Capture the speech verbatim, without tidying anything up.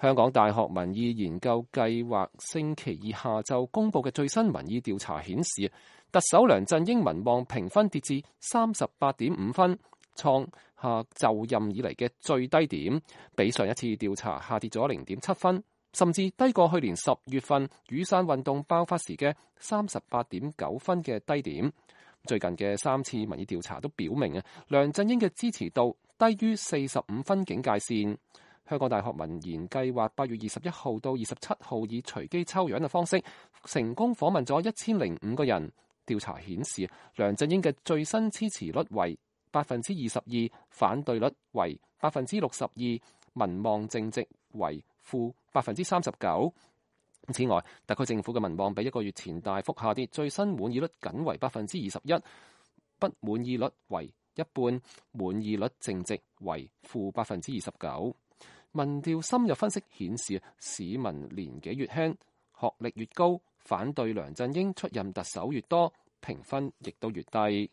香港大學民意研究計劃星期二下晝公佈嘅最新民意調查顯示，特首梁振英民望評分跌至三十八點五分，創下就任以嚟嘅最低點，比上一次調查下跌咗零點七分，甚至低過去年十月份雨傘運動爆發時嘅三十八點九分嘅低點。最近嘅三次民意調查都表明啊，梁振英嘅支持度低於四十五分警戒線。香港大學民研計劃八月二十一號到二十七號以隨機抽樣嘅方式，成功訪問咗一千零五個人。調查顯示，梁振英嘅最新支持率為百分之二十二，反對率為百分之六十二，民望正值為負百分之三十九。此外，特區政府嘅民望比一個月前大幅下跌，最新滿意率僅為百分之二十一，不滿意率為一半，滿意率正值為負百分之二十九。民調深入分析顯示，市民年紀越輕，學歷越高，反對梁振英出任特首越多，評分亦都越低。